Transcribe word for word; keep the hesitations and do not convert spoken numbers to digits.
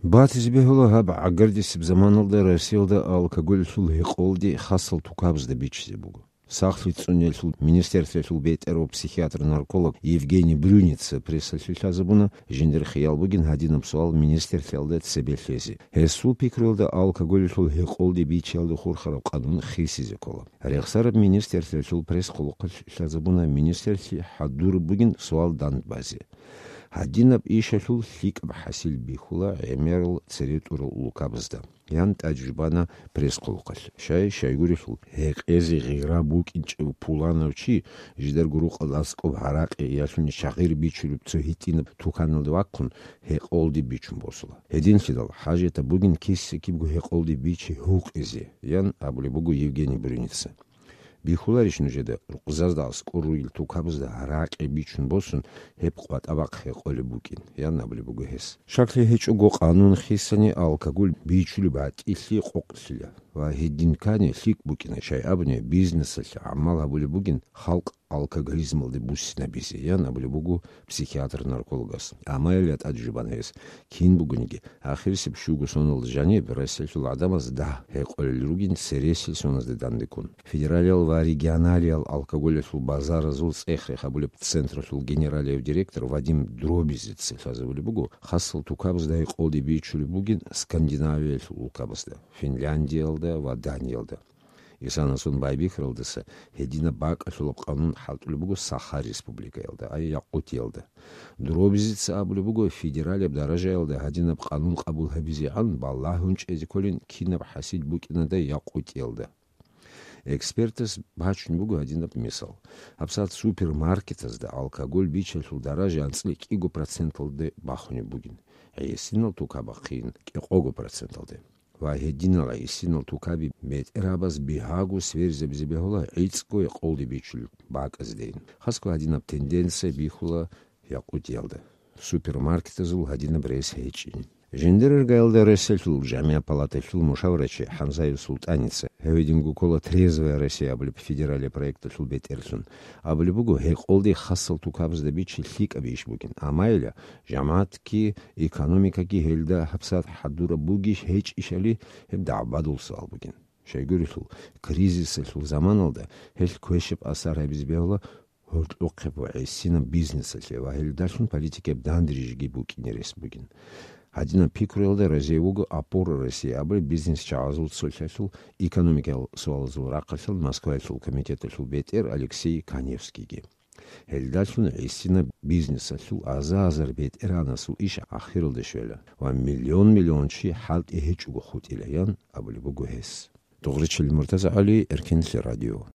Батизе бегьула, гьаб гӀагардисеб заманалда Россиялда алкоголлъул гьекъолди хасал тукабазда бичизе буго. Сахлъи цӀуниялъул министерствоялъул бетӀер ва психиатр-нарколог Евгений Брюница прессалъе лъазабуна, жиндир хиял бугин гьадинаб суал министерствоялда цебе лъезе. Гьесул пикруялда алкоголлъул гьекъолди бичиялда хурхараб къанун хисизе ккола. Рехсараб министерствоялъул пресс-хъулухъалъ лъазабуна министерствоялъе хӀадураб бугин суал дандбазе. Гьадинаб ишалъул лъикӀаб хӀасил бихьула гӀемерал цере тӀурал улукабазда, ян тӀаде жубана пресс-хъулухъалъ. Щай-щайгурелъул, гьекъезе гъира букӀинчӀев пуланав чи жидарго рукъалда аскӀоб гьаракье ялъуни чагъир бичулеб цо гьитӀинаб туканалде вахъун, гьекъолди бичун босула. Гьединлъидал хӀажатаб бугин киса-кибго гьекъолди бичи гьукъизе, ян абулеб буго Евгений Брюница. Бихьуларищ нужеда, рукъзазда аскӀор ругел тукабазда гьаракье бичун босун, гьеб къватӀа бахъ гьекъолеб букӀин, ян абулеб буго гьес. Щаклъи гьечӀого къанун хисани алкоголь бичулеб гӀатӀилъи къокълъила ва гьедин ккани лъикӀ букӀина, щай абуни бизнесалъе гӀамал гьабулеб бугин халкъ алкоголизмалде буссинабизе, ян абулеб буго психиатр-наркологас. Амма гьелда тӀаде жубана гьес, кин бугониги, ахирисеб щуго соналда жаниб Россиялъул гӀадамаз дагь гьекъолел ругин цересел соназде дандеккун. Федералиял ва регионалиял алкоголалъул базаразул цӀех-рех гьабулеб централъул генералияв директор Вадим Дробизеца лъазабулеб буго, хасал тукабазда гьекъолди бичулеб бугин Скандинавиялъул улкабазда, Финляндиялда ва Даниялда. Исанасун байбихьаралдаса гьединаб бакӀалъулаб къанун хӀалтӀулеб буго Саха Республикаялда, ай Якъутиялда. Дробизеца абулеб буго, федералияб даражаялда гьадинаб къанун къабул гьабизегӀан балагьун чӀезе кколин кинаб хӀасил букӀинада Якъутиялда. Экспертас бачун буго гьадинаб мисал. ГьабсагӀат супермаркетазда алкоголь бичалъул даража анцӀила кӀиго проценталде бахунеб бугин, гӀисинал тукабахъин кӀикъого проценталде. Ва гьединал гӀисинал тукаби бетӀергьабаз бигьаго сверизабизе бегьула гӀицӀго гьекъолди бичулел бакӀаздейин. Хасго гьадинаб тенденция бихьула Якъутиялда. Супермаркетазул гьадинаб рес гьечӀин. Жиндир иргаялда Россиялъул жамигӀат палаталъул мушаварачи ХӀамзаев Султаница, гьавидинго ккола «Трезвая Россия» абулеб федералияб проекталъул бетӀерлъун, абулеб буго, гьекъолди хасал тукабазда бичи лъикӀаб иш бугин, амма гьелда жамагӀатги, экономикаги гьелда гьабсагӀат хӀадураб бугищ гьечӀищали, гьеб дагӀбадул суал бугин. Щайгурелъул, кризисалъул заманалда гьелъ квешаб асар гьабизе бегьула гьоркьохъеб ва гӀисинаб бизнесалъе ва гьелдалъун политикаяб данде-рижиги букӀине рес бугин. Гьадинаб пикруялда разие вуго «Опора России» абулеб бизнес-чагӀазул цолъалъул экономикиял суалазул рахъалъан Москваялъул комитеталъул бетӀер Алексей Каневскийги. Гьелдалъун гӀисинаб бизнесалъул аза-азар бетӀергьанасул иш ахиралде щвела ва миллион-миллион чи хӀалтӀи гьечӀого хутӀила, ян абулеб буго гьес. Дугъричил Муртаза ГӀали, Эркенлъи радио.